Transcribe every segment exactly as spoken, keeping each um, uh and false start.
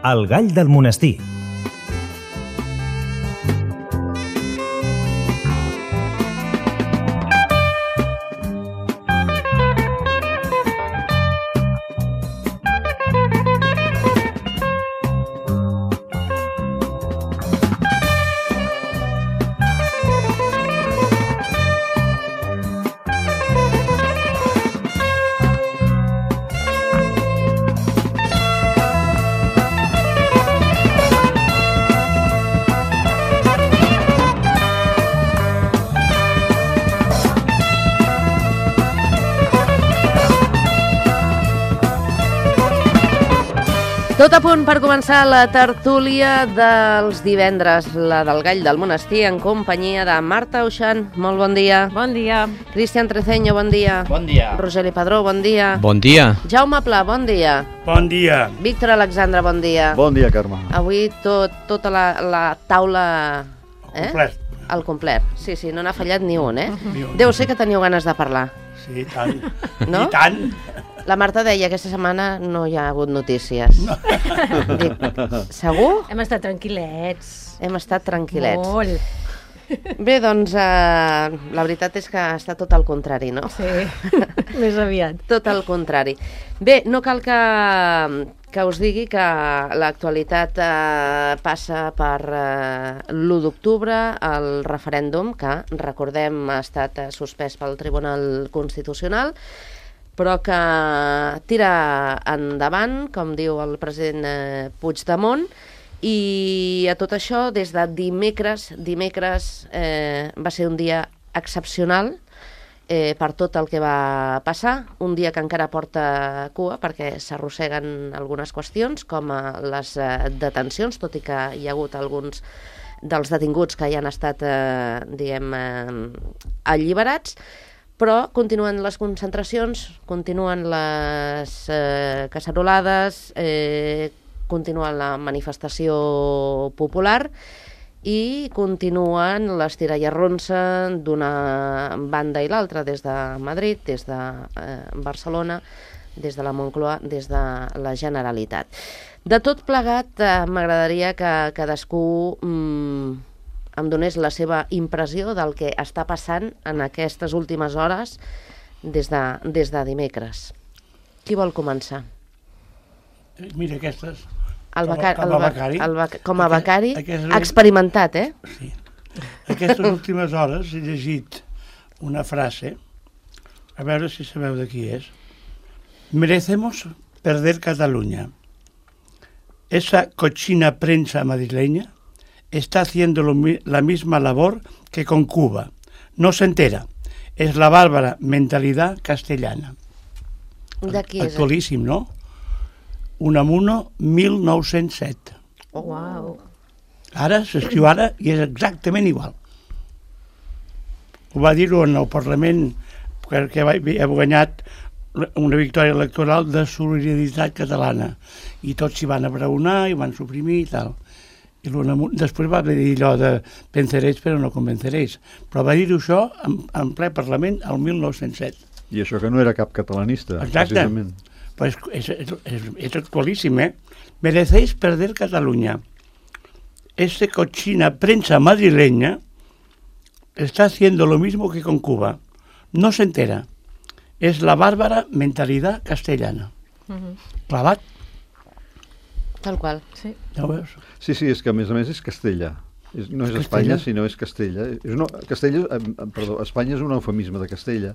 El gall del monestir. Tot a punt per començar la tertúlia dels divendres, la del Gall del Monestir, en companyia de Marta Auxan. Molt bon dia. Bon dia. Cristian Treceño, bon dia. Bon dia. Rogeli Padró, bon dia. Bon dia. Jaume Pla, bon dia. Bon dia. Víctor Alexandre, bon dia. Bon dia, Carme. Avui tot, tota la, la taula... Eh? Complet. Al complet. Sí, sí, no n'ha fallat ni un, eh? Ni un. Deu ser que teniu ganes de parlar. Sí, tant. No? I tant. La Marta deia que aquesta setmana no hi ha hagut notícies. No. Dic, segur? Hem estat tranquil·lets. Hem estat tranquil·lets. Molt. Bé, doncs, eh, la veritat és que està tot al contrari, no? Sí, més aviat. Tot al contrari. Bé, no cal que, que us digui que l'actualitat eh, passa per eh, l'u d'octubre, el referèndum, que, recordem, ha estat eh, suspès pel Tribunal Constitucional, però que tira endavant, com diu el president eh, Puigdemont, i a tot això, des de dimecres, dimecres eh, va ser un dia excepcional eh, per tot el que va passar, un dia que encara porta cua perquè s'arrosseguen algunes qüestions, com eh, les eh, detencions, tot i que hi ha hagut alguns dels detinguts que ja han estat, eh, diguem, eh, alliberats, però continuen les concentracions, continuen les eh, cacerolades, eh, continua la manifestació popular i continuen les tirallarronsa d'una banda i l'altra, des de Madrid, des de eh, Barcelona, des de la Moncloa, des de la Generalitat. De tot plegat, eh, m'agradaria que cadascú mm, em donés la seva impressió del que està passant en aquestes últimes hores des de, des de dimecres. Qui vol començar? Mira, aquestes... El becari, com a becari. El bec, com a becari, Aquest, experimentat, eh? Sí. Aquestes últimes hores he llegit una frase, a veure si sabeu de qui és. Merecemos perder Cataluña. Esa cochina prensa madrileña está haciendo lo, la misma labor que con Cuba. No se entera. Es la bárbara mentalidad castellana. De qui és? Actualíssim, no? Unamuno, mil nou-cents set. Oh, wow. Ara, s'escriu ara, i és exactament igual. Ho va dir-ho en el Parlament, perquè ha guanyat una victòria electoral de solidaritat catalana. I tots s'hi van abraonar i van suprimir i tal. I després va dir allò de venceréis però no convenceréis, però va dir això en, en ple Parlament el mil nou-cents set. I això que no era cap catalanista. Exacte, precisament. Pues és, és, és, és actualíssim, eh? Merecéis perder Cataluña. Esta cochina prensa madrileña está haciendo lo mismo que con Cuba. No se entera. Es la bárbara mentalidad castellana. Uh-huh. Clavat. Tal qual. Sí. Ja ho veus? Sí, sí, és que a més a més és Castella. És, no és Castella? Espanya, sinó és Castella. És una, Castella, eh, perdó, Espanya és un eufemisme de Castella,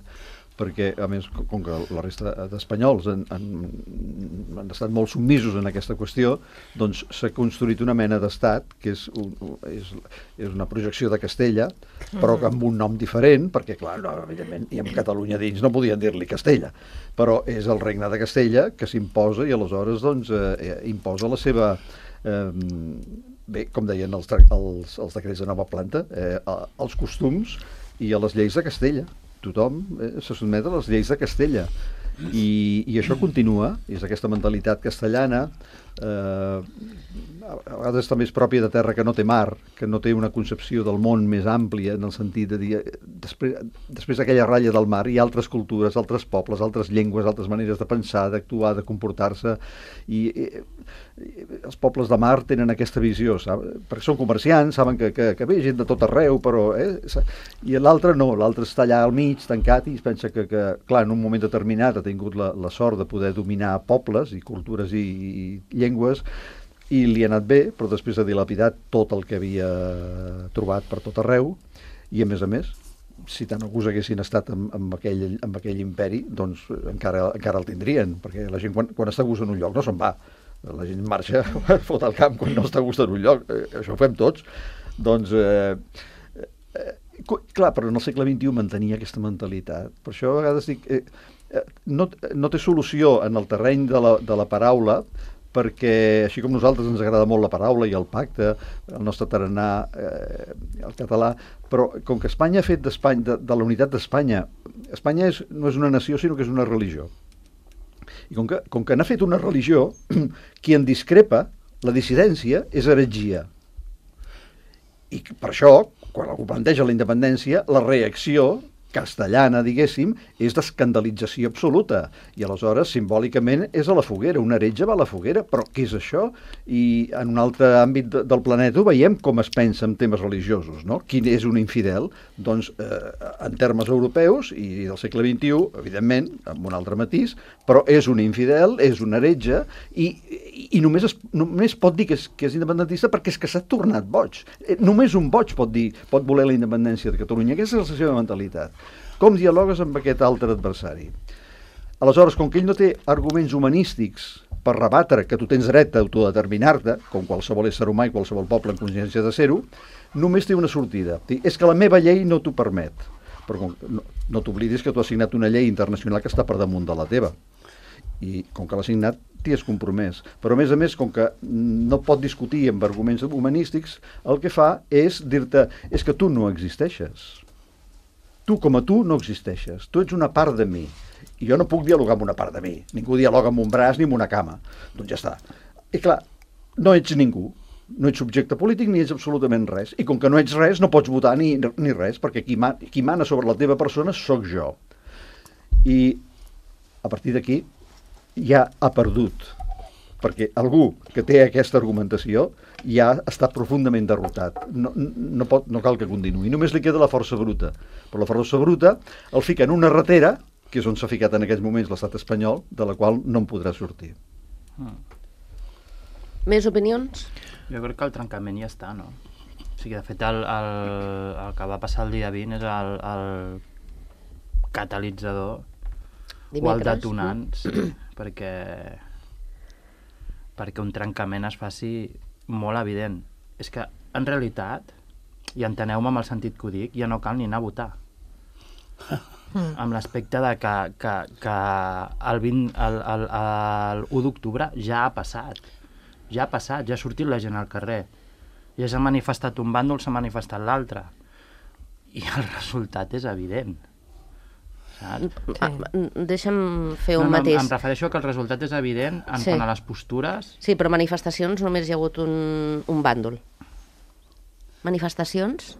perquè, a més, com que la resta d'espanyols han, han, han estat molt submisos en aquesta qüestió, doncs s'ha construït una mena d'estat que és, un, és, és una projecció de Castella, però amb un nom diferent, perquè, clar, no, evidentment, i amb Catalunya dins no podien dir-li Castella, però és el regne de Castella que s'imposa i aleshores doncs, eh, imposa la seva... Eh, bé, com deien els, els, els decrets de nova planta, eh, els costums i a les lleis de Castella. Tothom eh, se sotmet a les lleis de Castella i, i això continua, és aquesta mentalitat castellana. Eh, a vegades també és pròpia de terra que no té mar, que no té una concepció del món més àmplia, en el sentit de dir, després, després d'aquella ratlla del mar hi ha altres cultures, altres pobles, altres llengües, altres maneres de pensar, d'actuar, de comportar-se, i, i, i els pobles de mar tenen aquesta visió, sap? Perquè són comerciants, saben que, que, que ve gent de tot arreu, però... Eh? I l'altre no, l'altre està allà al mig, tancat, i es pensa que, que clar, en un moment determinat ha tingut la, la sort de poder dominar pobles i cultures i, i llengües, i li ha anat bé, però després ha dilapidat tot el que havia trobat per tot arreu, i a més a més, si tant alguns haguessin estat amb, amb, aquell, amb aquell imperi, doncs encara, encara el tindrien, perquè la gent quan, quan està a gust en un lloc no se'n va, la gent marxa, fot al camp quan no està a gust en un lloc, eh, això ho fem tots, doncs... Eh, eh, clar, però en el segle vint-i-u mantenia aquesta mentalitat, per això a vegades dic, eh, eh, no, no té solució en el terreny de la, de la paraula, perquè així com nosaltres ens agrada molt la paraula i el pacte, el nostre tarannà, eh, el català, però com que Espanya ha fet d'Espanya, de, de la unitat d'Espanya, Espanya és, no és una nació sinó que és una religió. I com que, com que n'ha fet una religió, qui en discrepa, la dissidència, és heretgia. I per això, quan algú planteja la independència, la reacció castellana, diguéssim, és d'escandalització absoluta. I aleshores, simbòlicament, és a la foguera. Un heretge va a la foguera, però què és això? I en un altre àmbit de, del planeta ho veiem com es pensa en temes religiosos, no? Qui és un infidel? Doncs, eh, en termes europeus i del segle vint-i-u, evidentment, amb un altre matís, però és un infidel, és un heretge, i, i, i només, es, només pot dir que és, que és independentista perquè és que s'ha tornat boig. Eh, només un boig pot dir, pot voler la independència de Catalunya. Aquesta és la seva mentalitat. Com dialogues amb aquest altre adversari? Aleshores, com que ell no té arguments humanístics per rebatre que tu tens dret a autodeterminar-te, com qualsevol ésser humà i qualsevol poble en consciència de ser-ho, només té una sortida. És que la meva llei no t'ho permet. Però no, no t'oblidis que tu has signat una llei internacional que està per damunt de la teva. I com que l'has signat, t'hi has compromès. Però a més a més, com que no pot discutir amb arguments humanístics, el que fa és dir-te, és que tu no existeixes. Tu com a tu no existeixes, tu ets una part de mi, i jo no puc dialogar amb una part de mi, ningú dialoga amb un braç ni amb una cama, doncs ja està. I clar, no ets ningú, no ets subjecte polític ni ets absolutament res, i com que no ets res no pots votar ni, ni res, perquè qui, man, qui mana sobre la teva persona sóc jo. I a partir d'aquí ja ha perdut, perquè algú que té aquesta argumentació ja està profundament derrotat. No, no, pot, no cal que continuï. Només li queda la força bruta. Però la força bruta el fica en una ratera, que és on s'ha ficat en aquests moments l'estat espanyol, de la qual no en podrà sortir. Mm. Més opinions? Jo crec que el trencament ja està, no? O sigui, de fet, el, el, el que va passar el dia vint és el, el catalitzador Dimecres, o el detonant, sí, perquè, perquè un trencament es faci molt evident. És que, en realitat, i enteneu-me amb el sentit que ho dic, ja no cal ni anar a votar. Mm. Amb l'aspecte de que, que, que el, vint, el, el, el u d'octubre ja ha passat. Ja ha passat, ja ha sortit la gent al carrer. Ja s'ha manifestat un bàndol, s'ha manifestat l'altre. I el resultat és evident. Sí. Deixa'm fer un no, no, mateix. Em refereixo que el resultat és evident en sí. quant a les postures. Sí, però manifestacions només hi ha hagut un, un bàndol. Manifestacions?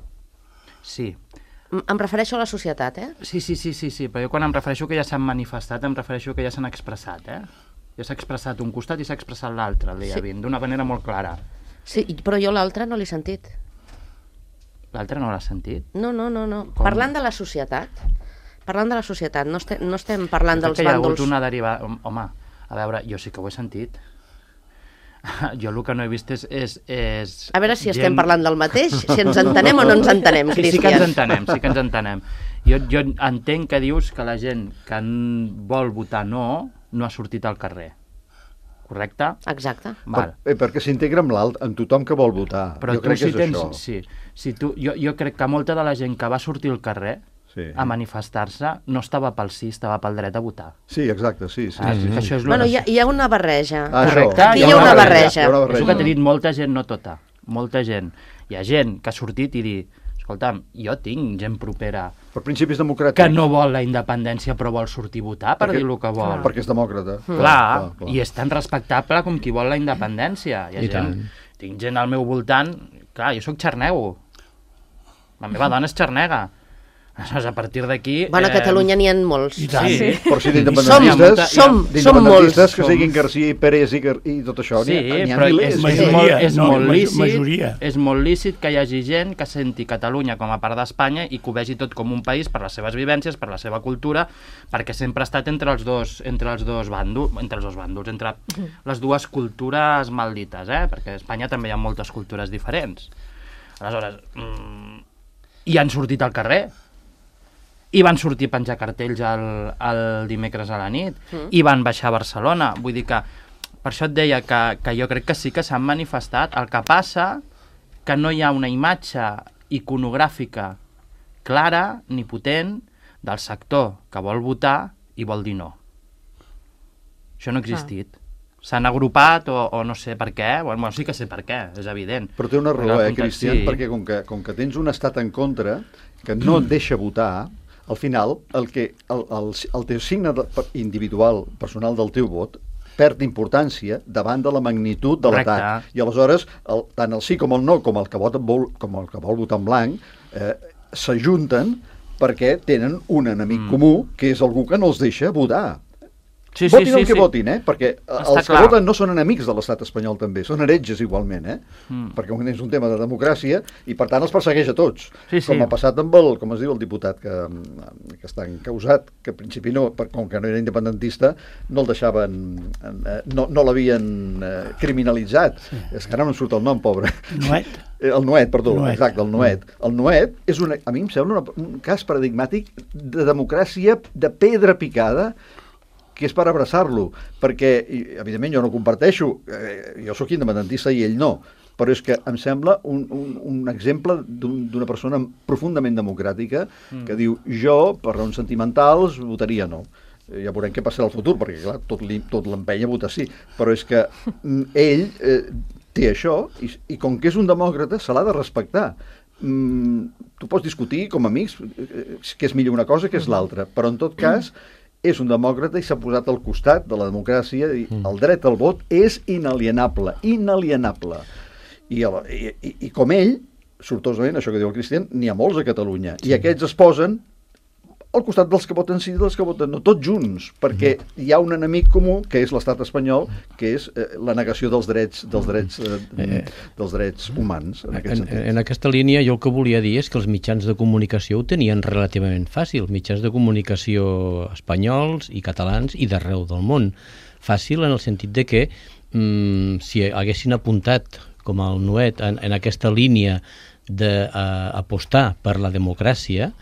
Sí. M em refereixo a la societat, eh? Sí, sí, sí, sí, sí, però jo quan em refereixo que ja s'han manifestat, em refereixo que ja s'han expressat, eh? Ja s'ha expressat un costat i s'ha expressat l'altre, el dia sí. vint, d'una manera molt clara. Sí, però jo l'altre no l'he sentit. L'altre no l'has sentit? No, no, no, no. Com? Parlant de la societat... Parlant de la societat, no estem, no estem parlant dels bàndols... Hi ha hagut una derivada... Home, a veure, jo sí que ho he sentit. Jo el que no he vist és... és, és a veure si gent... estem parlant del mateix, si ens entenem o no ens entenem, Cristian. Sí, sí que ens entenem, sí que ens entenem. Jo, jo entenc que dius que la gent que vol votar no, no ha sortit al carrer. Correcte? Exacte. Val. Per, perquè s'integra amb l'alt, amb tothom que vol votar. Però jo tu crec si que és tens... això. Sí, si tu, jo, jo crec que molta de la gent que va sortir al carrer sí. a manifestar-se no estava pel sí, estava pel dret a votar. Sí, exacte, sí. sí, ah, sí, sí. Això és bueno, hi ha, hi ha una barreja. Ah, correcte? Aquí hi ha una barreja. Hi ha una barreja. És el que t'he dit, molta gent, no tota. Molta gent. Hi ha gent que ha sortit i dir, escolta'm, jo tinc gent propera per principis democràtics que no vol la independència però vol sortir a votar per perquè, dir el que vol. Perquè és demòcrata. Mm. Clar, clar, clar, i és tan respectable com qui vol la independència. Hi ha I gent tant. tinc gent al meu voltant, clar, jo sóc xarnego, la meva dona és xarnega. Aleshores, a partir d'aquí... Bueno, a Catalunya n'hi ha molts. I tant. Sí. Però si Som, d'independentistes... som, som d'independentistes molts. que siguin García i Pérez i, Gar- i tot això, Sí, n'hi ha, n'hi ha però milers. és, és, Majoria, molt, és, no, molt maj- lícit, majoria. és molt lícit que hi hagi gent que senti Catalunya com a part d'Espanya i que ho vegi tot com un país per les seves vivències, per la seva cultura, perquè sempre ha estat entre els dos, entre els dos bàndols, entre els dos bàndols, entre les dues cultures maldites, eh? Perquè a Espanya també hi ha moltes cultures diferents. Aleshores, mmm, i han sortit al carrer, i van sortir a penjar cartells el, el dimecres a la nit, mm. i van baixar a Barcelona. Vull dir que, per això et deia que, que jo crec que sí que s'han manifestat. El que passa que no hi ha una imatge iconogràfica clara ni potent del sector que vol votar i vol dir no. Això no ha existit. S'han agrupat o, o no sé per què, bueno, sí que sé per què, és evident. Però té una raó, Perquè eh, el context, Cristian, sí. perquè com que, com que tens un estat en contra que no et deixa votar, al final el, que, el, el, el teu signe de, individual, personal del teu vot, perd importància davant de la magnitud de Correcte. l'atac. I aleshores, el, tant el sí com el no, com el que, vota, vol, com el que vol votar en blanc, eh, s'ajunten perquè tenen un enemic Mm. comú, que és algú que no els deixa votar. Sí, sí, Votin sí, el que sí. votin, eh? Perquè Està els que clar. voten no són enemics de l'estat espanyol també, són heretges igualment, eh? Mm. Perquè és un tema de democràcia i per tant els persegueix a tots. Sí, sí. Com ha passat amb el, com es diu, el diputat que, que està encausat, que al principi no, per, com que no era independentista, no el deixaven, eh, no, no l'havien eh, criminalitzat. Sí. És que ara no em surt el nom, pobre. Nuet. Eh, El Nuet, perdó, Nuet. exacte, el Nuet. El Nuet és una, a mi em sembla una, un cas paradigmàtic de democràcia de pedra picada, que és per abraçar-lo, perquè, i, evidentment, jo no comparteixo, eh, jo sóc independentista i ell no, però és que em sembla un, un, un exemple d'una un, persona profundament democràtica mm. que diu, jo, per raons sentimentals, votaria no. Eh, ja veurem què passarà al futur, perquè, clar, tot, li, tot l'empenya a votar sí, però és que ell eh, té això, i, i com que és un demòcrata, se l'ha de respectar. Mm, tu pots discutir, com a amics, eh, que és millor una cosa que és l'altra, però en tot cas, és un demòcrata i s'ha posat al costat de la democràcia i el dret al vot és inalienable, inalienable. I, el, i, i, i com ell, sortosament, això que diu el Cristian, n'hi ha molts a Catalunya. Sí. I aquests es posen al costat dels que voten sí i dels que voten no, tots junts, perquè hi ha un enemic comú, que és l'estat espanyol, que és eh, la negació dels drets dels drets, eh, dels drets humans. En, aquest en, en aquesta línia jo el que volia dir és que els mitjans de comunicació ho tenien relativament fàcil, mitjans de comunicació espanyols i catalans i d'arreu del món. Fàcil en el sentit de que mm, si haguessin apuntat com el Nuet en, en aquesta línia d'apostar per la democràcia,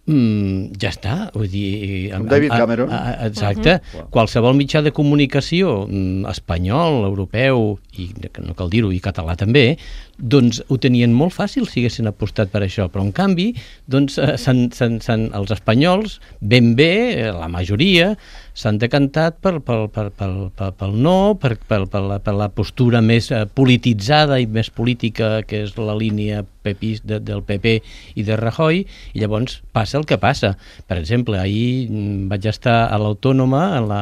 Mm, ja està, vull dir... Com David Cameron. A, a, exacte. Uh-huh. Qualsevol mitjà de comunicació mm, espanyol, europeu, i no cal dir-ho, i català també, doncs ho tenien molt fàcil si haguessin apostat per això, però en canvi doncs, eh, s'han, s'han, s'han, els espanyols, ben bé, la majoria, s'han decantat per, per, per, per, per, pel no, per, per, per, la, per la postura més eh, polititzada i més política, que és la línia pepis de, del P P i de Rajoy, i llavors passa el que passa. Per exemple, ahir vaig estar a l'Autònoma, en, la,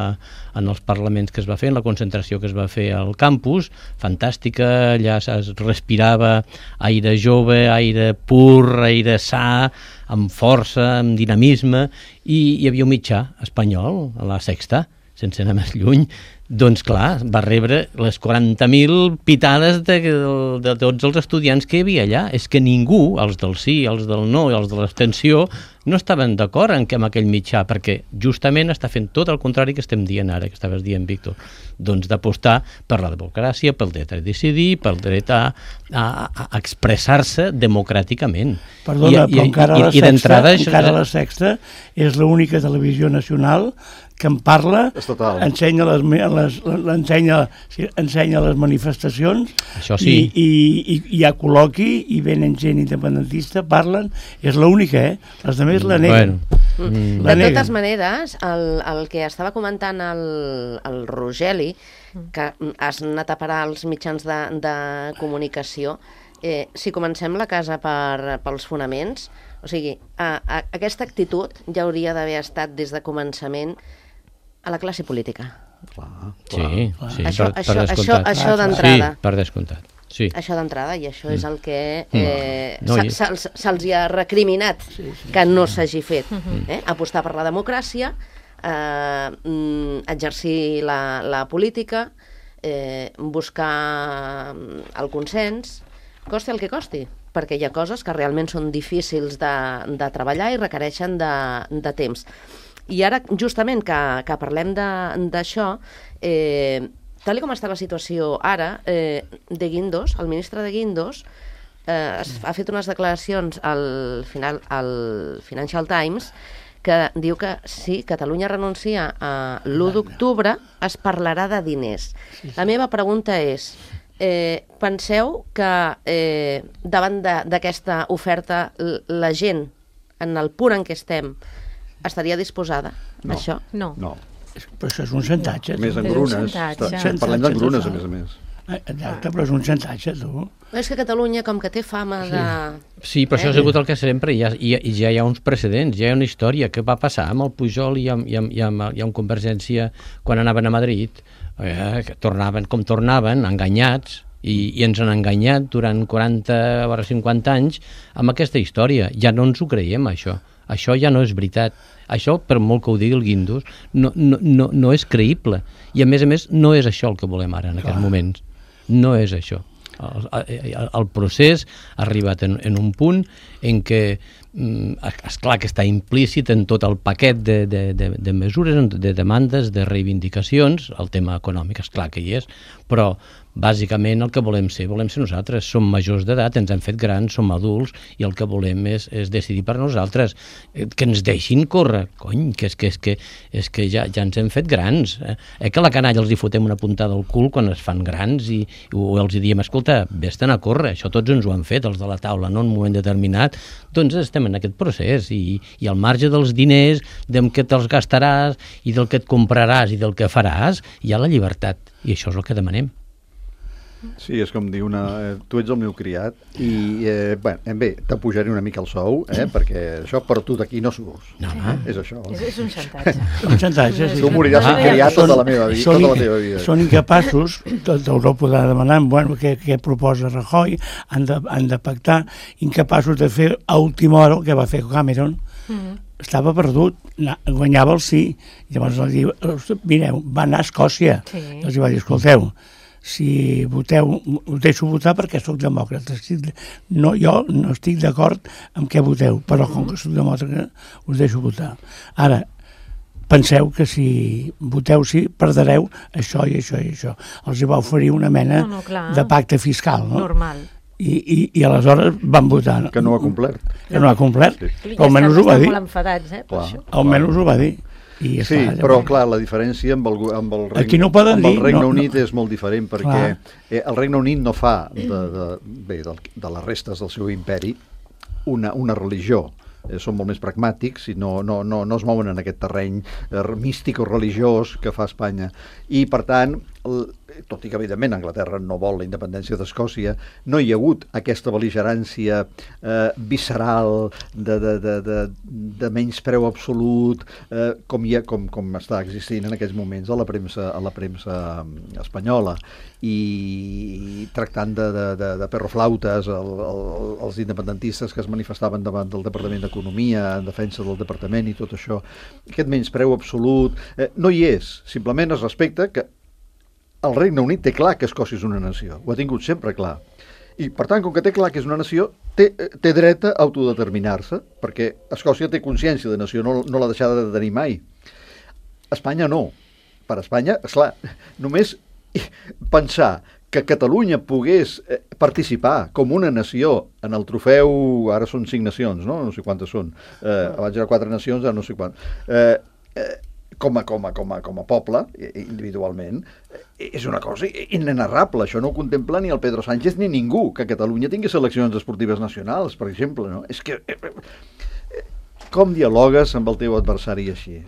en els parlaments que es va fer, en la concentració que es va fer al campus, fantàstica, allà es respirava aire jove, aire pur, aire sa, amb força, amb dinamisme, i hi havia un mitjà espanyol, a la Sexta, sense anar més lluny, doncs clar, va rebre les quaranta mil pitades de, de, de tots els estudiants que hi havia allà. És que ningú, els del sí, els del no i els de l'abstenció, no estaven d'acord en, amb aquell mitjà, perquè justament està fent tot el contrari que estem dient ara, que estaves dient, Víctor. Doncs d'apostar per la democràcia, pel dret a decidir, pel dret a, a, a expressar-se democràticament. Perdona, I, però i, encara, i, la, i sexta, això... encara la Sexta és l'única televisió nacional que en parla, Estatal. ensenya les, les, l'ensenya, sí, ensenya les manifestacions, Això sí. i, i, i hi ha col·loqui i venen gent independentista, parlen, és l'única, eh? Les altres la neguen. Bueno. Mm. La De neguen. totes maneres, el, el que estava comentant el, el Rogeli, que has anat a parar als mitjans de, de comunicació, eh, si comencem la casa per, pels fonaments, o sigui, a, a, aquesta actitud ja hauria d'haver estat des de començament a la classe política. Clar, clar. Sí, sí, Això- per, això- per descomptat. això- això d'entrada. Sí, per descomptat. Sí. Això d'entrada, i això és el que Mm. eh, No, se- i- se'ls se'ls hi ha recriminat que no s'hagi fet. Eh? Apostar per la democràcia, eh, mm, exercir la, la política, eh, buscar el consens, costi el que costi, perquè hi ha coses que realment són difícils de, de treballar i requereixen de, de temps. I ara, justament, que, que parlem de- d'això, eh, tal com està la situació ara, eh, de Guindos, el ministre de Guindos, eh, es, ha fet unes declaracions al, final, al Financial Times que diu que si Catalunya renuncia a l'u d'octubre es parlarà de diners. La meva pregunta és, eh, penseu que eh, davant d'aquesta oferta l- la gent, en el punt en què estem, estaria disposada a No. això? No. No. Però això és un xantatge. A més, tu. És un engrunes. xantatge. Està- Xantatge Parlem d'engrunes, a total. més a més. Eh, Exacte, però és un xantatge, tu. És que Catalunya, com que té fama de... Sí, però això ha Eh? sigut el que sempre, ja, ja, ja hi ha uns precedents, ja hi ha una història. Què va passar amb el Pujol i amb, i amb, i amb, i amb Convergència quan anaven a Madrid? Eh, que tornaven com tornaven, enganyats, i, i ens han enganyat durant quaranta o cinquanta anys amb aquesta història. Ja no ens ho creiem, això. Això ja no és veritat. Això, per molt que ho digui el Guindos, no, no, no, no és creïble. I, a més a més, no és això el que volem ara, en aquests moments. No és això. El, el, el procés ha arribat en, en un punt en què, mm, esclar que està implícit en tot el paquet de, de, de, de mesures, de demandes, de reivindicacions, el tema econòmic, esclar que hi és, però bàsicament el que volem ser, volem ser nosaltres, som majors d'edat, ens hem fet grans, som adults, i el que volem és, és decidir per nosaltres, eh, que ens deixin córrer, cony, que és que, és que, és que ja, ja ens hem fet grans, eh? eh que a la canalla els hi fotem una puntada al cul quan es fan grans i, o els hi diem, escolta, vés-te'n a córrer, això tots ens ho han fet, els de la taula, no? En un moment determinat, doncs estem en aquest procés, i, i al marge dels diners, del que te'ls gastaràs, i del que et compraràs, i del que faràs, hi ha la llibertat, i això és el que demanem. Sí, és com dir una... Eh, tu ets el meu criat i, eh, bé, eh, bé t'apujaré una mica el sou, eh, perquè això per tu d'aquí no surts. No, no. És això. És, és un xantatge. Un xantatge, sí. Tu moriràs Ah, criat Són- tota la meva vida. són Tota la inca- teva vida. Són incapaços, tot Europa de demanar, bueno, què, què proposa Rajoy, han de, han de pactar, incapaços de fer a última hora el que va fer Cameron. Mm. Estava perdut, na- guanyava el sí. Llavors els diu, mireu, va anar a Escòcia. Sí. I els va dir, escolteu, si voteu, us deixo votar perquè sóc demòcrata. Estic, no, jo no estic d'acord amb què voteu, però com que sóc demòcrata us deixo votar. Ara, penseu que si voteu sí, perdreu això i això i això. Els hi va oferir una mena No, no, clar. de pacte fiscal, no? Normal. I, i, i aleshores van votar. Que no ho ha complert. Que no ha complert. Sí. Però almenys ho va dir. Estan molt enfadats, eh, per Clar. això. Almenys ho va dir. I Sí, esclar, però llavors- clar, la diferència amb el, gu- amb el, Regne, Aquí no ho poden amb el dir, Regne no, Unit no. és molt diferent perquè Clar. eh, el Regne Unit no fa de, de, bé, de, de les restes del seu imperi una, una religió. Eh, són molt més pragmàtics i no, no, no, no es mouen en aquest terreny eh, místic o religiós que fa Espanya. I, per tant, el, tot i que, evidentment, Anglaterra no vol la independència d'Escòcia, no hi ha hagut aquesta bel·ligerància eh, visceral de, de, de, de, de menyspreu absolut eh, com, hi ha, com, com està existint en aquests moments a la premsa, a la premsa espanyola, i tractant de, de, de, de perroflautes el, el, els independentistes que es manifestaven davant del Departament d'Economia en defensa del departament i tot això. Aquest menyspreu absolut eh, no hi és, simplement es respecta que el Regne Unit té clar que Escòcia és una nació, ho ha tingut sempre clar. I, per tant, com que té clar que és una nació, té, té dret a autodeterminar-se, perquè Escòcia té consciència de nació, no, no l'ha deixada de tenir mai. Espanya no. Per Espanya, esclar, només pensar que Catalunya pogués eh, participar com una nació en el trofeu, ara són cinc nacions, no? No sé quantes són. Eh, abans eren quatre nacions, ara no sé quant. Eh, eh, com a, com a, com a, com a poble, individualment, és una cosa inenarrable. Això no ho contempla ni el Pedro Sánchez ni ningú, que Catalunya tingui seleccions esportives nacionals, per exemple. No? És que... Com dialogues amb el teu adversari així?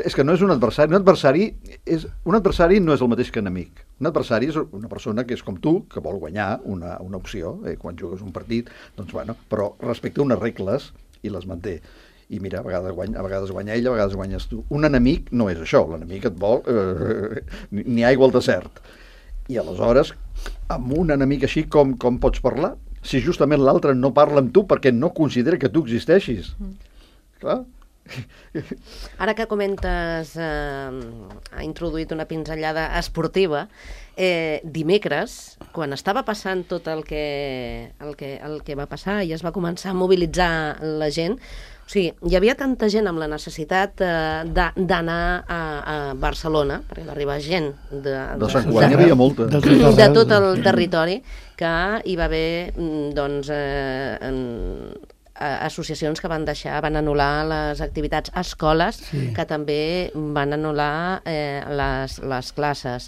És que no és un adversari. Un adversari, és, un adversari no és el mateix que enemic. Un adversari és una persona que és com tu, que vol guanyar una, una opció, eh, quan jugues un partit, doncs bueno, però respecta unes regles i les manté. I mira, a vegades, guanya, a vegades guanya ell, a vegades guanyes tu. Un enemic no és això, l'enemic et vol eh, ni aigua al desert. I aleshores amb un enemic així com, com pots parlar? Si justament l'altre no parla amb tu perquè no considera que tu existeixis. Mm. Clar. Ara que comentes, eh, ha introduït una pinzellada esportiva, eh, dimecres, quan estava passant tot el que, el, que, el que va passar i es va començar a mobilitzar la gent, o sigui, hi havia tanta gent amb la necessitat eh, d'anar a, a Barcelona, perquè va arribar gent de, de, de Sant Joan, hi havia molta. De, de, de tot el territori, que hi va haver, doncs, eh, en, associacions que van deixar, van anul·lar les activitats, escoles sí. que també van anul·lar eh, les, les classes.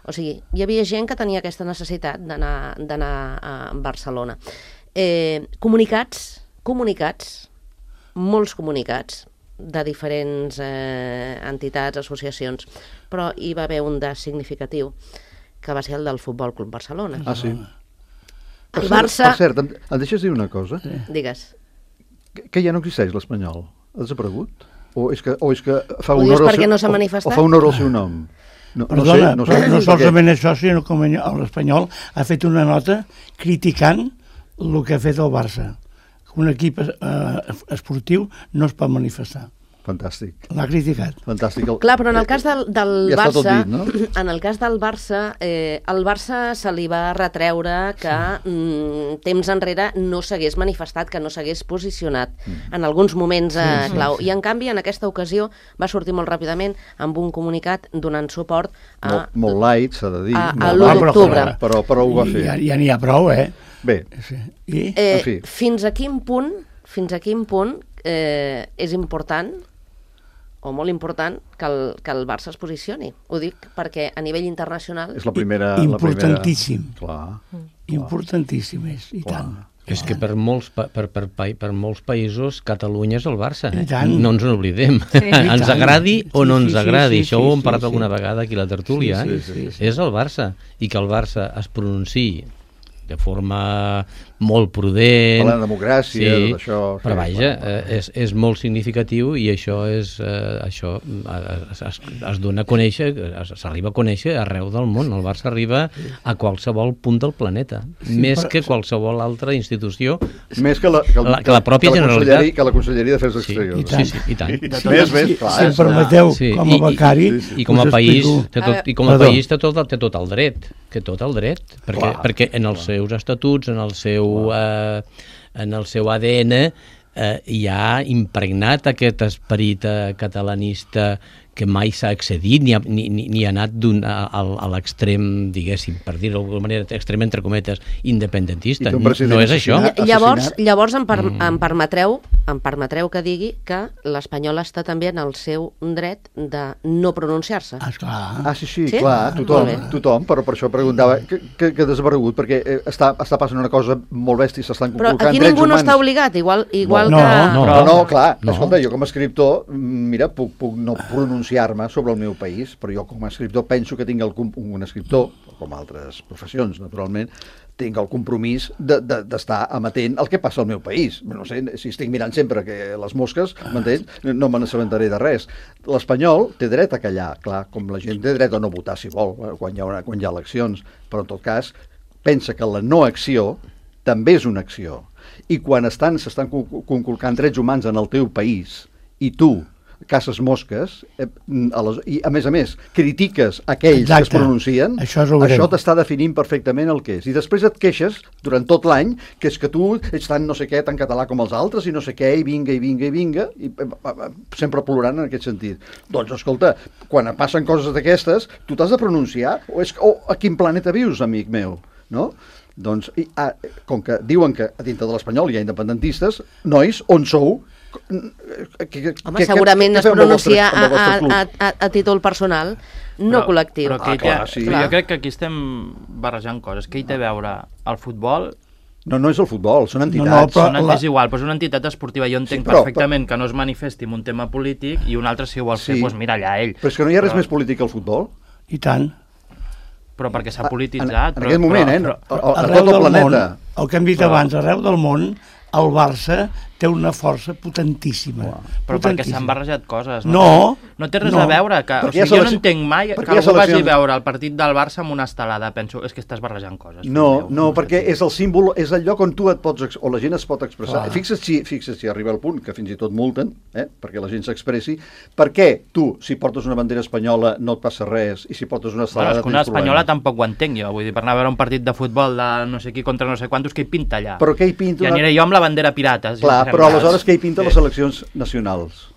O sigui, hi havia gent que tenia aquesta necessitat d'anar a Barcelona. Eh, comunicats, comunicats, molts comunicats de diferents eh, entitats, associacions, però hi va haver un de significatiu, que va ser el del Futbol Club Barcelona. Ah, sí. El Barça... Per cert, em, em deixes dir una cosa? Sí. Digues. Que ja no existeix l'espanyol. Ha desaparegut? O és que, o és que fa ho honor dius al perquè seu, no s'ha o, manifestat? o fa honor al seu nom? No, Perdona, no sé, no, sé, no solament perquè... això, sinó com l'Espanyol ha fet una nota criticant el que ha fet el Barça. Un equip eh, esportiu no es pot manifestar. Fantàstic. L'ha criticat. Fantàstic. El... Clar, però en el cas del, del ja Barça, dit, no? en el cas del Barça, eh, el Barça se li va retreure que sí. mm, temps enrere no s'hagués manifestat, que no s'hagués posicionat mm. en alguns moments eh, sí, clau. Sí, sí. I en canvi, en aquesta ocasió, va sortir molt ràpidament amb un comunicat donant suport a... Molt, molt light, s'ha de dir. A, a l'u d'octubre. Però, però ho va fer. Ja, ja n'hi ha prou, eh? Bé. Sí. I? Eh, en fi. Fins a quin punt, fins a quin punt eh, és important o molt important que el, que el Barça es posicioni. Ho dic perquè a nivell internacional... És la primera... Importantíssim. La primera... Clar. Importantíssim és, i Clar. tant. És que per molts, per, per, per, per molts països Catalunya és el Barça, eh? I tant. No ens n'oblidem. Sí. Ens agradi o no Sí, ens sí, agradi. sí, Això sí, ho hem sí, parlat sí. alguna vegada aquí a la tertúlia. Sí, eh? sí, sí, sí. És el Barça. I que el Barça es pronunciï de forma molt prudent... Per la democràcia, sí, tot això... però sí, vaja, clar, clar. eh, és, és molt significatiu i això és eh, això es, es, es dona a conèixer, s'arriba a conèixer arreu del món. El Barça arriba a qualsevol punt del planeta, Sí, més però- que qualsevol altra institució. Més que la, que, el, La- que la pròpia que la Generalitat. Conselleria- Que la Conselleria d'Afers Sí, Exteriors. i tant. sí, sí, i tant. I De més, més, si, clar. si em és- permeteu, Sí, com a i- i- becari... sí, sí. I com a us país, explico- té tot, i com a Perdó. país té tot, té tot el dret, té tot el dret, perquè, Clar, perquè en els seus estatuts, en el seu, eh, en el seu A D N, eh, hi ha impregnat aquest esperit eh, catalanista que mai s'ha excedit ni ha, ni, ni, ni ha anat d'un, a, a, a l'extrem, diguéssim, per dir-ho d'alguna manera, extrem entre cometes, independentista. I té un No president és això. assassinat. Llavors, assassinat. llavors em, per, Mm. em, permetreu, em permetreu que digui que l'Espanyol està també en el seu dret de no pronunciar-se. Ah, esclar. Ah, sí, sí, Sí? clar, tothom, Molt bé. tothom, però per això preguntava que, que, que desaparegut, perquè eh, està, està passant una cosa molt bèstia, s'estan Però conculcant aquí drets ningú no humans. està obligat, igual, igual No, que... no, Però no, clar, No. escolta, jo com a escriptor, mira, puc, puc no pronunciar-me sobre el meu país, però jo com a escriptor penso que tinc el, com- un escriptor, com altres professions, naturalment, tinc el compromís de- de- d'estar de, amatent al que passa al meu país. No sé, si estic mirant sempre que les mosques, m'entens? No me n'assabentaré de res. L'espanyol té dret a callar, clar, com la gent té dret a no votar, si vol, quan hi ha, una, quan hi ha eleccions, però en tot cas pensa que la no acció també és una acció. I quan estan s'estan co- conculcant drets humans en el teu país i tu caces mosques eh, a les, i a més a més critiques aquells Exacte. que es pronuncien, Això és el greu. això t'està definint perfectament el que és. I després et queixes durant tot l'any que és que tu ets tan no sé què, tan català com els altres i no sé què, i vinga, i vinga, i vinga, i eh, eh, sempre plorant en aquest sentit. Doncs escolta, quan passen coses d'aquestes, tu t'has de pronunciar, o, és, o a quin planeta vius, amic meu, no? Doncs, i, ah, com que diuen que a dintre de l'Espanyol hi ha independentistes, nois, on sou? Que, que, Home, que- segurament què es feu amb el vostre- pronuncia amb el vostre a, club? a, a, a títol personal, no Però- col·lectiu. Però, aquí Ah, clar, té, sí. però jo crec que aquí estem barrejant coses. Què hi té a veure el futbol? No, no és el futbol, són entitats. No, no, però- Són, la- és igual, però és una entitat esportiva. Jo entenc Sí, però- perfectament que no es manifesti en un tema polític i un altre si ho vol fer, Sí. doncs mira allà ell. Però és que no hi ha res Però- més polític que el futbol. I tant. Però perquè s'ha En, polititzat. en però, aquest moment, però, eh? Però, A, a, a Arreu tot el del planeta. món, el que hem dit Però- abans, arreu del món, el Barça té té una força potentíssima. Però perquè s'han barrejat coses. No, no té res no. a veure. Que, o Perquè hi ha sigui, jo no selecció- entenc mai perquè que hi ha algú vagi a seleccions- veure el partit del Barça amb una estelada. Penso, és que estàs barrejant coses. No, fill meu. no, perquè és el símbol, és el lloc on tu et pots, ex- o la gent es pot expressar. Clar. Fixa't si, fixa't si arriba al punt que fins i tot multen, eh, perquè la gent s'expressi. Per què tu, si portes una bandera espanyola, no et passa res, i si portes una Bueno, estelada és que una tens espanyola problemes? tampoc ho entenc jo. Vull dir, per anar a veure un partit de futbol de no sé qui contra no sé quantos, que hi pinta allà? Però què hi pinta I una- aniré jo amb la bandera pirata. Si Clar, ens però fem aleshores cas. què hi pinta les seleccions nacionals?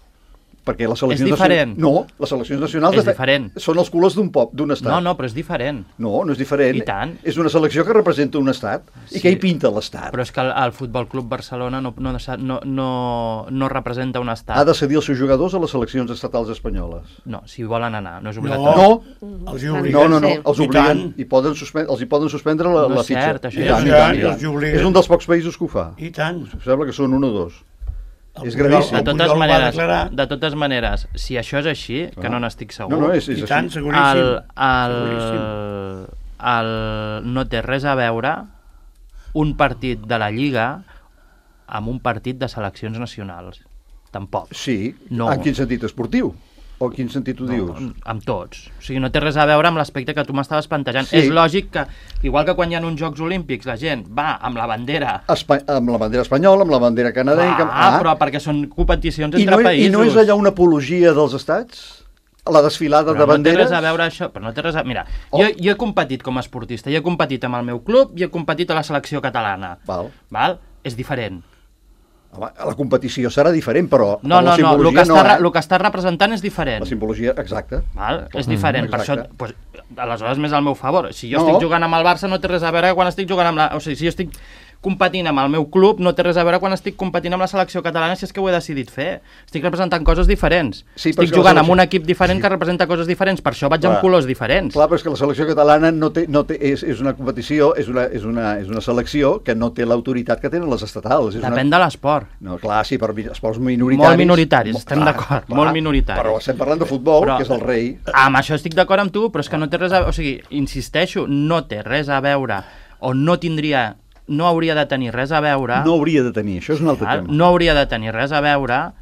Perquè les seleccions És diferent. nacionals... No, les seleccions nacionals És de fe- diferent. són els colors d'un pop, d'un estat. No, no, però és diferent. No, no és diferent. I tant. És una selecció que representa un estat. I Sí. què hi pinta l'estat? Però és que el, el Futbol Club Barcelona no, no, no, no, no representa un estat. Ha de cedir els seus jugadors a les seleccions estatals espanyoles. No, si volen anar, no és No, obligatori. No, els hi no, obliguen. no, no, Sí. els I obliguen tant. i poden suspendre, els hi poden suspendre la, No la és fitxa. cert, això I ja tant, és i tant, i veritat. tant. Els hi obliguen. És un dels pocs països que ho fa. I tant. Sembla que són un o dos. El És Pujol- gravíssim. De el totes, Pujol va maneres, declarar- de totes maneres, si això és així, que Clar. no n'estic segur, No, no, és, és I així. tant, seguríssim. el, Seguríssim. el, el, no té res a veure un partit de la Lliga amb un partit de seleccions nacionals. Tampoc. Sí, No. en quin sentit esportiu? O en quin sentit ho dius? No, amb tots. O sigui, no té res a veure amb l'aspecte que tu m'estaves plantejant. Sí. És lògic que, igual que quan hi ha uns Jocs Olímpics, la gent va amb la bandera... Espa amb la bandera espanyola, amb la bandera canadenca... Ah, però perquè són competicions I entre no, països. I no és allà una apologia dels estats? La desfilada Però de no té banderes? res a veure això, però no té res a... Mira, Oh. jo, jo he competit com a esportista, jo he competit amb el meu club i he competit a la selecció catalana. Val. Val? És diferent. Home, la competició serà diferent, però No, la no, no, el simbologia que, està, no, re- eh? el que està representant és diferent. La simbologia, exacte. Val? És diferent, per això, exacte. pues, aleshores més al meu favor. Si jo No. estic jugant amb el Barça no té res a veure quan estic jugant amb la... O sigui, si jo estic competint amb el meu club no té res a veure quan estic competint amb la selecció catalana, si és que ho he decidit fer. Estic representant coses diferents. Sí, però és estic que la jugant amb selecció- un equip diferent que representa coses diferents, per això vaig Clar. amb colors diferents. Clar, però és que la selecció catalana no té, no té, és, és una competició, és una, és, una, és una selecció que no té l'autoritat que tenen les estatals. És Depèn una... de l'esport. No, clar, sí, però mi- esports minoritaris... Molt minoritaris, Mo- estem d'acord, molt minoritaris. Però estem parlant de futbol, Però- que és el rei. Amb això estic d'acord amb tu, però és que no té res a veure... O sigui, insisteixo, no té res a veure, o no tindria... no hauria de tenir res a veure... No hauria de tenir, això és un altre val? tema. No hauria de tenir res a veure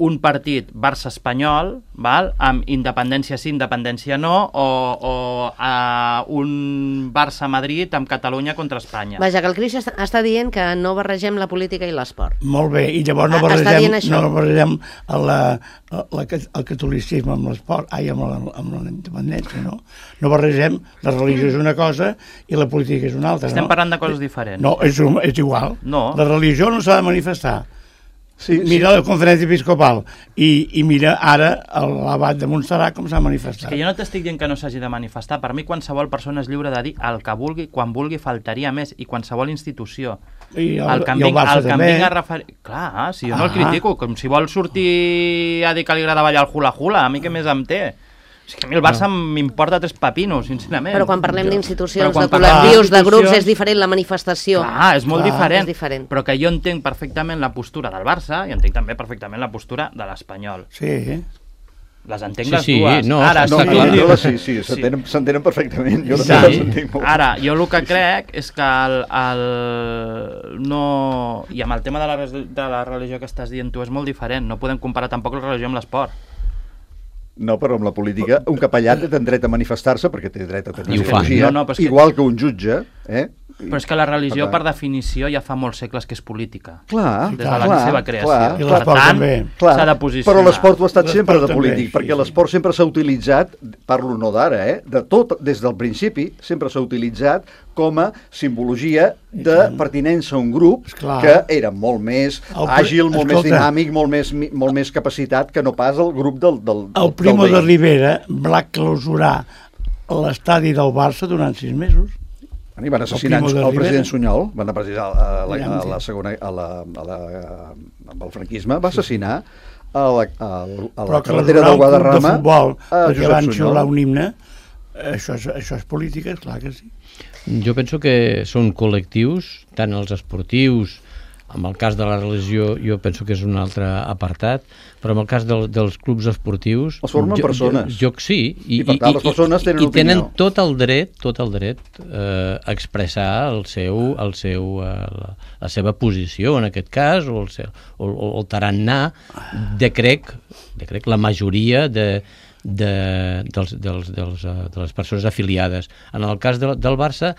un partit Barça-Espanyol, val? Amb independència sí, independència no, o, o uh, un Barça-Madrid amb Catalunya contra Espanya. Vaja, que el Cris està, està dient que no barregem la política i l'esport. Molt bé, i llavors no Ah, està barregem, dient això. no barregem el, la, la, el catolicisme amb l'esport, ai, amb la, amb la independència, no? No barregem, la religió és una cosa i la política és una altra, Estem no? parlant de coses diferents. No, és, un- és igual. No. La religió no s'ha de manifestar. Sí, Mira la conferència episcopal i, i mira ara l'abat de Montserrat com s'ha manifestat. Que jo no t'estic dient que no s'hagi de manifestar. Per mi qualsevol persona és lliure de dir el que vulgui, quan vulgui, faltaria més, i qualsevol institució. I el, El que em i el vinc, Barça el que em també. vinc a referir... Clar, si jo no el Ah. critico, com si vol sortir a dir que li agrada ballar el hula-hula, a mi què més em té? És que a mi el Barça m'importa tres papinos, sincerament. Però quan parlem Jo- d'institucions, però quan de parlem col·lectius, de grups, d'institucions- és diferent la manifestació. Clar, és molt Clar. diferent, És diferent. però que jo entenc perfectament la postura del Barça i entenc també perfectament la postura de l'Espanyol. Sí, Les entenc Sí, les sí, dues. no, Ara, està No, si no, tu clar. em no, dius- sí, sí, s'entenen s'entenen perfectament. Jo Sí. no les entenc molt. Ara, jo el que crec és que el, el no... I amb el tema de la, res- de la religió que estàs dient tu és molt diferent. No podem comparar tampoc la religió amb l'esport. No, però amb la política, un capellà té dret a manifestar-se perquè té dret a tenir I ho fa. ideologia, No, no, però és que- igual que un jutge, eh? Però és que la religió, Per per tant- definició, ja fa molts segles que és política. Clar, Des de clar, la clar, seva creació. clar. I Per l'esport tant, també. Clar, s'ha de posicionar. però l'esport ho ha estat L'esport sempre de també, polític, sí, perquè sí. l'esport sempre s'ha utilitzat, parlo no d'ara, eh, de tot, des del principi, sempre s'ha utilitzat com a simbologia de pertinença a un grup Esclar. que era molt més El pri- àgil, molt més escolta. dinàmic, molt més, mi- molt més capacitat que no pas el grup del, del, del el Primo del de veí. Rivera va clausurar l'estadi del Barça durant sis mesos. I van assassinar El el, Primo de el president Rivera. Sunyol, van assassinar a la, Ja, a la segona, a la, a la, amb el franquisme, va assassinar a la, a, a la Però carretera clausurar del un club Guadarrama de futbol a perquè Josep van Sunyol. xiular un himne, això és, això és política, és clar que sí. Jo penso que són col·lectius, tant els esportius en el cas de la religió jo penso que és un altre apartat, però en el cas del, dels clubs esportius... Els formen jo, persones. Jo, jo, sí. I, I per tant, les persones tenen i, i tenen opinió. tot el dret, tot el dret eh, a expressar el seu, el seu, eh, la, la seva posició, en aquest cas, o el, seu, o, o el tarannà de, crec, de crec, la majoria de, de, dels, dels, dels, uh, de les persones afiliades. En el cas de, del Barça,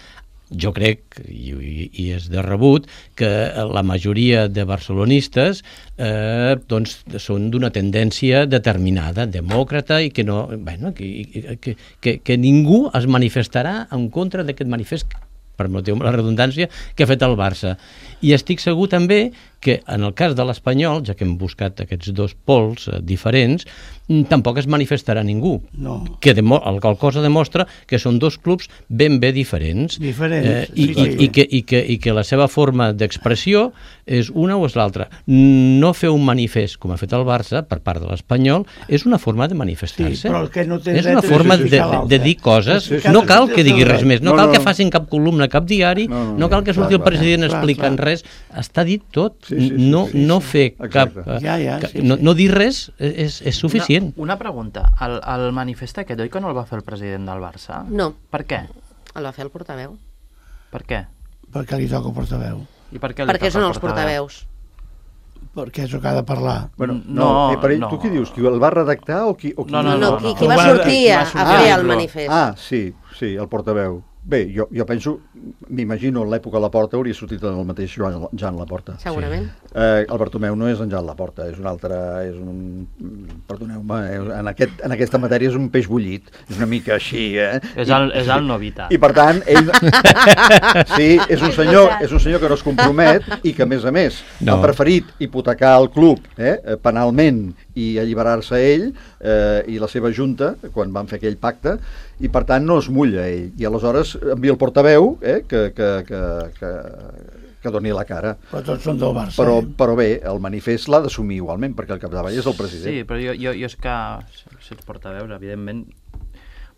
jo crec, i, i és de rebut, que la majoria de barcelonistes eh, doncs, són d'una tendència determinada, demòcrata, i que, no, bueno, que, que, que, que ningú es manifestarà en contra d'aquest manifest, permeteu-me la redundància, que ha fet el Barça. I estic segur també que en el cas de l'Espanyol, ja que hem buscat aquests dos pols eh, diferents, tampoc es manifestarà ningú. No. Que demo, el qual cosa demostra que són dos clubs ben bé diferents. Diferents, eh, i, sí, i, sí. i, que, i, que, i que la seva forma d'expressió és una o és l'altra. No fer un manifest, com ha fet el Barça, per part de l'Espanyol, és una forma de manifestar-se. Sí, però el que no té és dret una és forma de, explicar de, l'altre. de dir coses. Sí, No sí, cal sí, que sí, digui sí. res més, no No, cal no, que no. facin cap columna, cap diari, No, no, no cal que clar, surti el clar, president clar, explicant clar. res. Està dit tot. Sí, sí, sí, no, sí, no sí. fer cap... Exacte. eh, Ja, ja, cap- sí, no, sí. no dir res és, és suficient. Una, una pregunta. El, el manifest aquest, oi que no el va fer el president del Barça? No, Per què? el va fer el portaveu. Per què? Perquè li toca portaveu. I per què li Perquè toca són el els portaveus. Perquè és el que ha de parlar. Bueno, no, No, eh, per ell, no. tu qui dius? Qui el va redactar o qui... O qui No, No, no, no, qui, no. qui va Qui sortir va a, a sortir fer a el dir-lo. manifest. Ah, sí, sí, el portaveu. Bé, jo, jo penso, m'imagino en l'època de Laporta hauria sortit el mateix Joan, Jan Laporta. Segurament. Eh, el Bartomeu no és en Jan Laporta, és un altre, és un, perdoneu-me, eh, en, aquest, en aquesta matèria és un peix bullit, és una mica així, eh? És el, és el Novita. I per tant, ell... sí, és un senyor, és un senyor que no es compromet i que, a més a més, No. ha preferit hipotecar el club eh, penalment i alliberar-se ell eh, i la seva junta, quan van fer aquell pacte, i per tant no es mulla ell. I aleshores envia el portaveu eh, que, que, que, que, que doni la cara. Però tots són del Barça. Però, eh? però bé, el manifest l'ha d'assumir igualment, perquè el capdavall és el president. Sí, però jo, jo, jo és que, si ets portaveus, evidentment,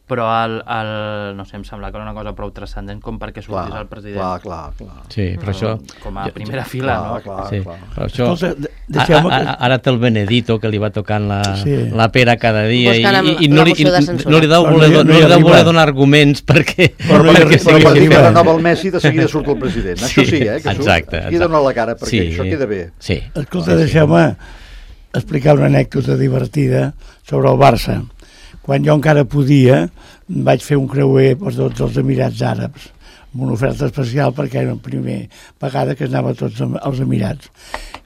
però el, el, no sé, em sembla que era una cosa prou transcendent com perquè sortís el president. clar, clar, clar. Sí, però això... Com a jo- primera fila, clar, no? clar, Sí, clar. però això... Escolta, de- a- deixeu-me a- que- a- Ara té el Benedito, que li va tocant la, Sí. la pera cada dia i, Buscant i, i la no, li, moció de i censura. no li deu Però no voler, hi- no no hi li deu arriba. voler donar arguments perquè, Però no hi perquè arriba. Però sigui quan li arriba. fa diferent. renova el Messi, de seguida surt el president. Sí, Això sí, eh? Que surt, exacte, aquí dona la cara, perquè Sí. això queda bé. Sí. Escolta, deixeu-me explicar una anècdota divertida sobre el Barça. Quan jo encara podia, vaig fer un creuer per tots els Emirats Àrabs, amb una oferta especial perquè era la primera vegada que anava a tots els Emirats.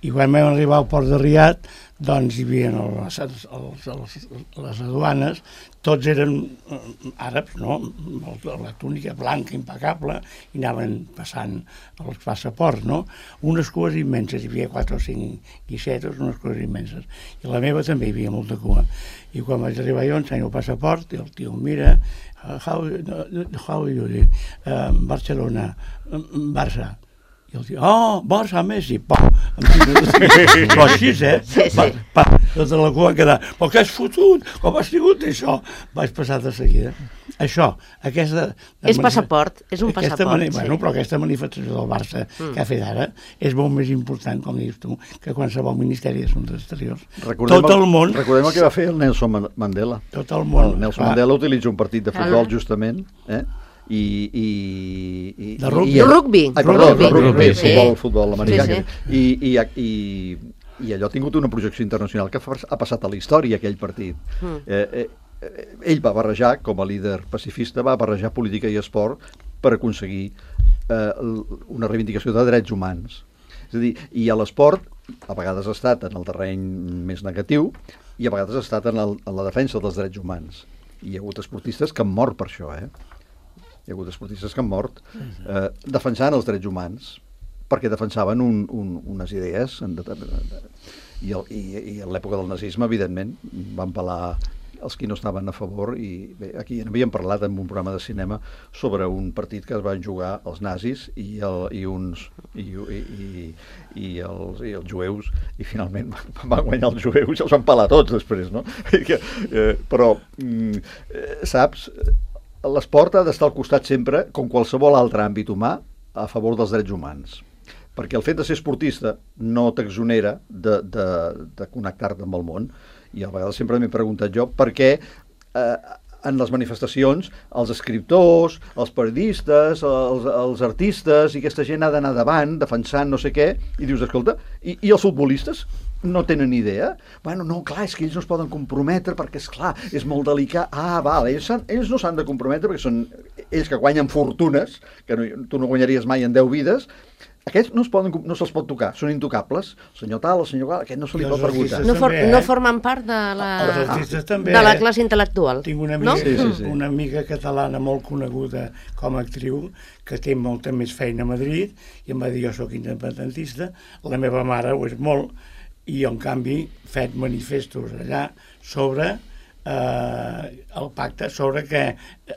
I quan vam arribar al port de Riad, doncs hi havia les, les, les, les aduanes, tots eren eh, àrabs, no? La túnica blanca impecable, i anaven passant els passaports, no? Unes cues immenses, hi havia quatre o cinc guixetes, unes cues immenses. I la meva també hi havia molta cua. I quan vaig arribar jo, ensenyo el passaport, i el tio em mira, uh, how, how are you? Uh, Barcelona, uh, Barça. I el tio, oh, Barça, Messi, pam. Però així, eh? Sí, sí. Pa, pa, tota la cua va quedar, però què has fotut? Com has tingut això? Vaig passar de seguida. Això, aquesta... És passaport, és un aquesta passaport, mani- sí. Bueno, però aquesta manifestació del Barça mm. que ha fet ara és molt més important, com dius tu, que qualsevol Ministeri d'Assumptes Exteriors. Recordem Tot el món... Recordem el que va fer el Nelson Man- Mandela. Tot el món. El Nelson clar. Mandela utilitza un partit de futbol, Ah. justament, eh? I, i, i, De rugby. i, De rugby. Ai, perdó, Rugby. de rugby, Rugby, sí. sí. futbol, futbol americà. Sí, I, i, i, I allò ha tingut una projecció internacional que fa- ha passat a la història, aquell partit. Mm. Eh, eh, eh, ell va barrejar, com a líder pacifista, va barrejar política i esport per aconseguir eh, l- una reivindicació de drets humans. És a dir, i a l'esport a vegades ha estat en el terreny més negatiu i a vegades ha estat en, el, en la defensa dels drets humans. I hi ha hagut esportistes que han mort per això, eh? Hi ha hagut esportistes que han mort eh, defensant els drets humans perquè defensaven un, un, unes idees en determinat... I, el, i, i a l'època del nazisme, evidentment, van pelar els qui no estaven a favor i bé, aquí n'havíem parlat en un programa de cinema sobre un partit que es van jugar els nazis i, el, i uns i, i, i, i, els, i els jueus i finalment van guanyar els jueus i els van pelar tots després, no? Que, eh, però mm, eh, saps, l'esport ha d'estar al costat sempre, com qualsevol altre àmbit humà, a favor dels drets humans. perquè el fet de ser esportista no t'exonera de, de, de connectar-te amb el món. I a vegades sempre m'he preguntat jo per què eh, en les manifestacions els escriptors, els periodistes, els, els artistes i aquesta gent ha d'anar davant defensant no sé què, i dius, escolta, i, i els futbolistes no tenen idea? Bueno, no, clar, és que ells no es poden comprometre perquè, és clar, és molt delicat. Ah, val, ells, ells no s'han de comprometre perquè són ells que guanyen fortunes, que no, tu no guanyaries mai en deu vides. Aquests no, es poden, no se'ls pot tocar, són intocables. El senyor tal, el senyor tal, aquest no se li pot preguntar. No, for, també, eh? no formen part de la, Els artistes també, de la eh? classe intel·lectual. Tinc una amiga, no? Sí, sí, sí. una amiga catalana molt coneguda com a actriu que té molta més feina a Madrid i em va dir, jo sóc independentista, la meva mare ho és molt, i en canvi fet manifestos allà sobre eh, el pacte, sobre que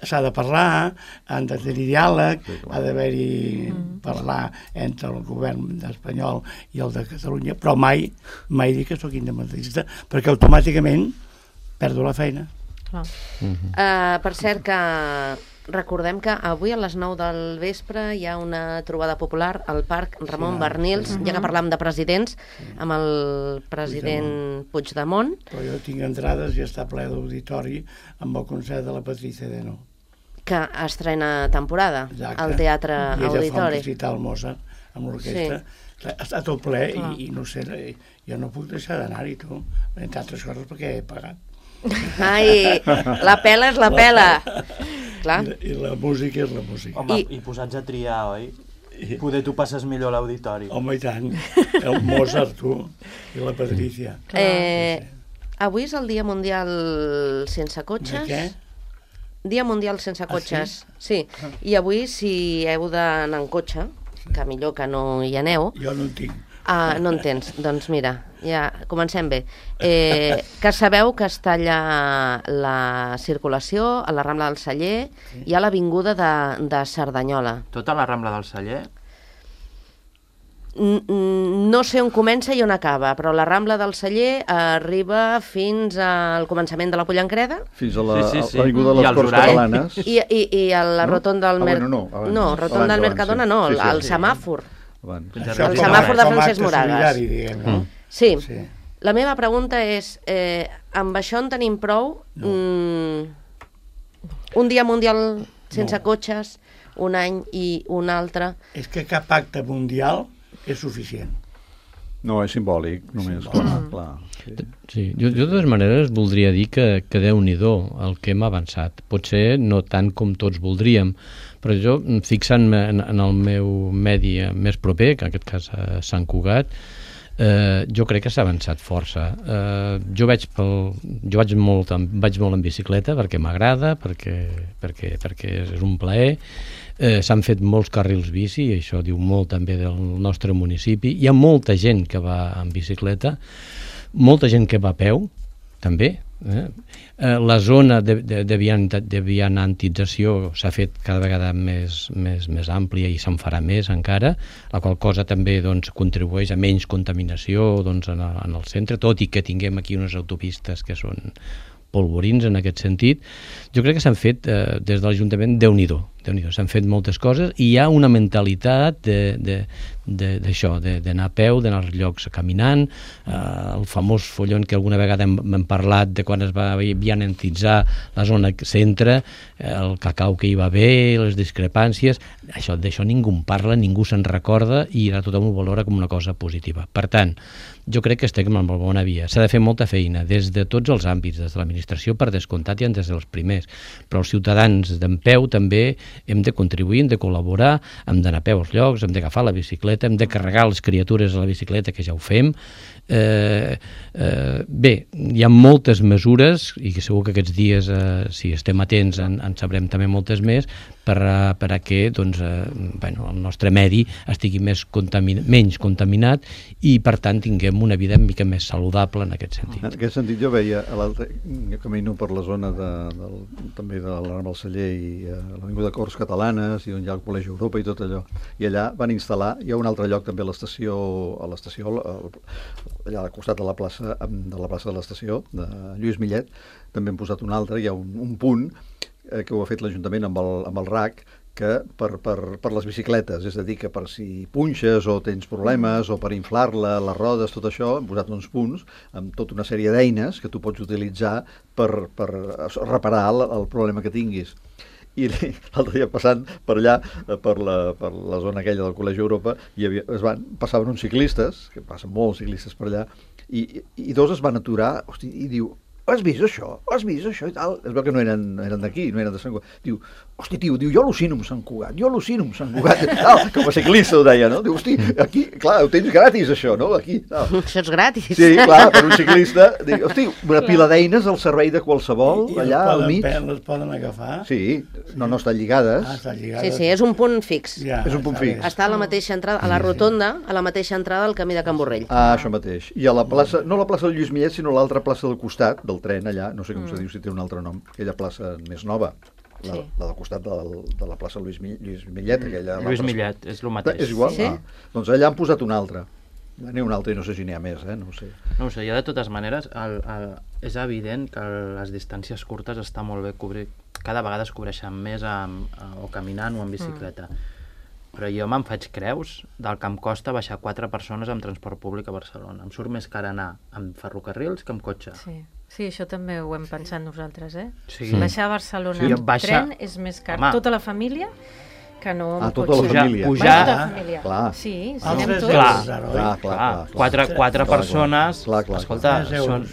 s'ha de parlar, han de tenir diàleg, sí, ha d'haver-hi mm. parlar entre el govern espanyol i el de Catalunya, però mai, mai dir que sóc independentista, perquè automàticament perdo la feina. Clar. Uh, per cert que recordem que avui a les nou del vespre hi ha una trobada popular al Parc Ramon Sí, Barnils, sí. ja que parlam de presidents, amb el president Puigdemont. Però jo tinc entrades i està ple d'auditori amb el concert de la Patricia Deno. Que estrena temporada Exacte. al Teatre I ella fa un Auditori. recital al Mozart amb l'orquestra. Sí. Està tot ple i, i no sé, jo no puc deixar d'anar-hi, tu, entre altres coses perquè he pagat. Ai, la pela és la pela. Clar. I, I la música és la música. Home, I- I, i posats a triar, oi? Poder tu passes millor a l'auditori. Home, i tant. El Mozart, tu, i la Patricia. Eh, avui és el Dia Mundial sense cotxes. De què? Dia Mundial sense Ah, cotxes. sí? sí. I avui, si heu d'anar en cotxe, que millor que no hi aneu, Jo no en tinc. ah, no en tens. Doncs mira, ja comencem bé. Eh, que sabeu que es talla la circulació a la Rambla del Celler i a l'avinguda de, de Cerdanyola. Tota la Rambla del Celler? N- n- No sé on comença i on acaba, però la Rambla del Celler arriba fins al començament de la Pollancreda Fins a la- Sí, sí, sí. a l'avinguda de I les els Corts horaris. Catalanes. i, i, i a la No? rotonda del Ah, Mer... bueno, no, abans. no, rotonda Abans, del abans, Mercadona sí. no, Sí, sí, el sí. semàfor. Abans. Fins a Això El com a- semàfor de com a Francesc acte Moragas. solidari, diguem, no? Sí. Sí. La meva pregunta és, eh, amb això en tenim prou? No. Mm, un dia mundial sense No. cotxes, un any i un altre. És que cap acte mundial és suficient. No, és simbòlic, només, clar, clar. Sí. Sí, jo, jo de totes maneres voldria dir que, que Déu-n'hi-do el que hem avançat. Potser no tant com tots voldríem, però jo, fixant-me en, en el meu medi més proper, que en aquest cas a Sant Cugat, eh, jo crec que s'ha avançat força. Eh, jo vaig, pel, jo vaig, molt, en- vaig molt en bicicleta perquè m'agrada, perquè, perquè, perquè és un plaer. Eh, s'han fet molts carrils bici, i això diu molt també del nostre municipi. Hi ha molta gent que va en bicicleta, molta gent que va a peu, també. Eh? Eh, la zona de, de, de, vian, de vianantització s'ha fet cada vegada més, més, més àmplia i se'n farà més encara, la qual cosa també doncs, contribueix a menys contaminació doncs, en, el, en el centre, tot i que tinguem aquí unes autopistes que són polvorins en aquest sentit. Jo crec que s'han fet eh, des de l'Ajuntament Déu-n'hi-do, Déu-n'hi-do, s'han fet moltes coses i hi ha una mentalitat d'això, d'anar a peu, d'anar als llocs caminant, eh, el famós follon que alguna vegada hem, hem parlat de quan es va vianantitzar la zona centre, eh, el cacau que hi va haver, les discrepàncies, això d'això ningú en parla, ningú se'n recorda i ara tothom ho valora com una cosa positiva. Per tant, jo crec que estem en la bona via. S'ha de fer molta feina des de tots els àmbits, des de l'administració per descomptat i des dels primers, però els ciutadans d'en peu també hem de contribuir, hem de col·laborar, hem d'anar a peu als llocs, hem d'agafar la bicicleta, hem de carregar les criatures a la bicicleta, que ja ho fem. Eh, eh, bé, hi ha moltes mesures i que segur que aquests dies, eh, si estem atents, en, en sabrem també moltes més per a, per a que doncs, eh, bueno, el nostre medi estigui més contamin menys contaminat i per tant tinguem una vida una mica més saludable en aquest sentit. En aquest sentit jo veia, a l'altre camino per la zona de, del, també de la Rambla del Celler i a l'Avinguda Corts Catalanes i on hi ha el Col·legi Europa i tot allò, i allà van instal·lar, hi ha un altre lloc també a l'estació, a l'estació allà al costat de la plaça de la plaça de l'estació, de Lluís Millet, també han posat un altre, hi ha un, un punt eh, que ho ha fet l'Ajuntament amb el, amb el R A C, que per, per, per les bicicletes, és a dir, que per si punxes o tens problemes o per inflar-la, les rodes, tot això, hem posat uns punts amb tota una sèrie d'eines que tu pots utilitzar per, per reparar el, el problema que tinguis. I l'altre dia passant per allà, per la, per la zona aquella del Col·legi Europa, hi havia, es van, passaven uns ciclistes, que passen molts ciclistes per allà, i, i dos es van aturar, hosti, i diu, has vist això? Has vist això? I tal. Es veu que no eren, no eren d'aquí, no eren de Sant Cugat. Diu, hosti, tio, diu, jo al·lucino amb Sant Cugat, jo al·lucino amb Sant Cugat. Tal, com a ciclista ho deia, no? Diu, hosti, aquí, clar, ho tens gratis, això, no? Aquí, tal. Això és gratis. Sí, clar, per un ciclista. Diu, hosti, una pila d'eines al servei de qualsevol, I, i allà al mig. I les poden agafar? Sí, no, no estan lligades. Ah, estan Sí, lligades. sí, és un punt fix. Ja, És un punt està bé. fix. Està a la mateixa entrada, a la rotonda, a la mateixa entrada del camí de Can Borrell. Ah, això mateix. I a la plaça, no la plaça del Lluís Millet, sinó l'altra plaça del costat, del tren allà, no sé com mm. se diu, si té un altre nom, aquella plaça més nova, la, Sí. la del costat del, de la plaça Lluís, Mi- Lluís Millet, aquella... Lluís l'altra- Millet, és el mateix. És igual? Sí? Ah, doncs allà han posat un altre. N'hi ha un altre i no sé si n'hi ha més, eh? No ho sé. No ho sé, jo de totes maneres, el, el, és evident que les distàncies curtes està molt bé cobrir, cada vegada es cobreixen més amb, o caminant o en bicicleta. Mm. Però jo me'n faig creus del que em costa baixar quatre persones amb transport públic a Barcelona. Em surt més car anar amb ferrocarrils que amb cotxe. Sí. sí, això també ho hem pensat nosaltres, eh? Sí. Baixar a Barcelona Sí, amb baixa- tren és més car. Home. Tota la família que no amb Ah, tota la cotxe. família. Pujar- Baix tota pujar- la família. Clar. Sí, si Els anem tres tots. Clar. euros, ara, oi? Clar, clar, Clar, clar. clar. quatre, quatre Clar, clar. persones, Clar, clar, escolta, clar. són,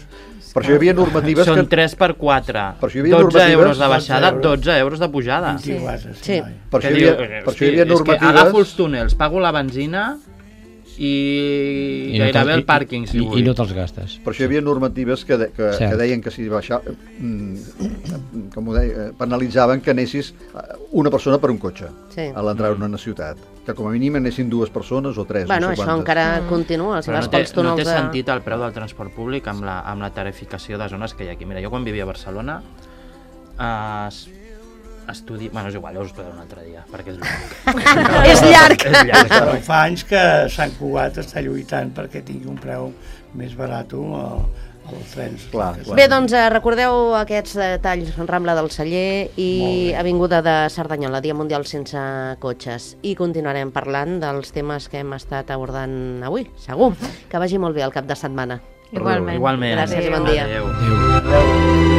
Per això hi havia normatives són que... tres per quatre, Per això hi havia dotze normatives- euros de baixada, dotze euros. dotze euros de pujada. vint-i-quatre, sí. Sí. noi. Per això Que hi havia, diu, per hosti, això hi havia és que normatives... agafo els túnels, pago la benzina i, I no gairebé te'ls- el pàrquing, si i, vull. I no te'ls gastes. Per això hi havia normatives que, de, que, Cert. que deien que si baixava, mm, com ho deia, penalitzaven que anessis eh, una persona per un cotxe Sí. a l'entrar en una ciutat. Que com a mínim anessin dues persones o tres, Bueno, no sé això quantes. encara continua, si Però vas no té, pels no túnels té de... sentit el preu del transport públic amb la, amb la tarificació de zones que hi ha aquí. Mira, jo quan vivia a Barcelona eh, es- estudi... Bueno, és igual, ja us ho explicaré un altre dia, perquè és llarg. És llarg! és llarg. Però fa anys que Sant Cugat està lluitant perquè tingui un preu més barat els trens. Clar, clar. Bé, doncs eh, recordeu aquests detalls, Rambla del Celler i Molt bé. Avinguda de Cerdanyola, Dia Mundial sense cotxes. I continuarem parlant dels temes que hem estat abordant avui, segur. Que vagi molt bé el cap de setmana. Igualment. Igualment. Gràcies i bon dia. Adéu. Adéu.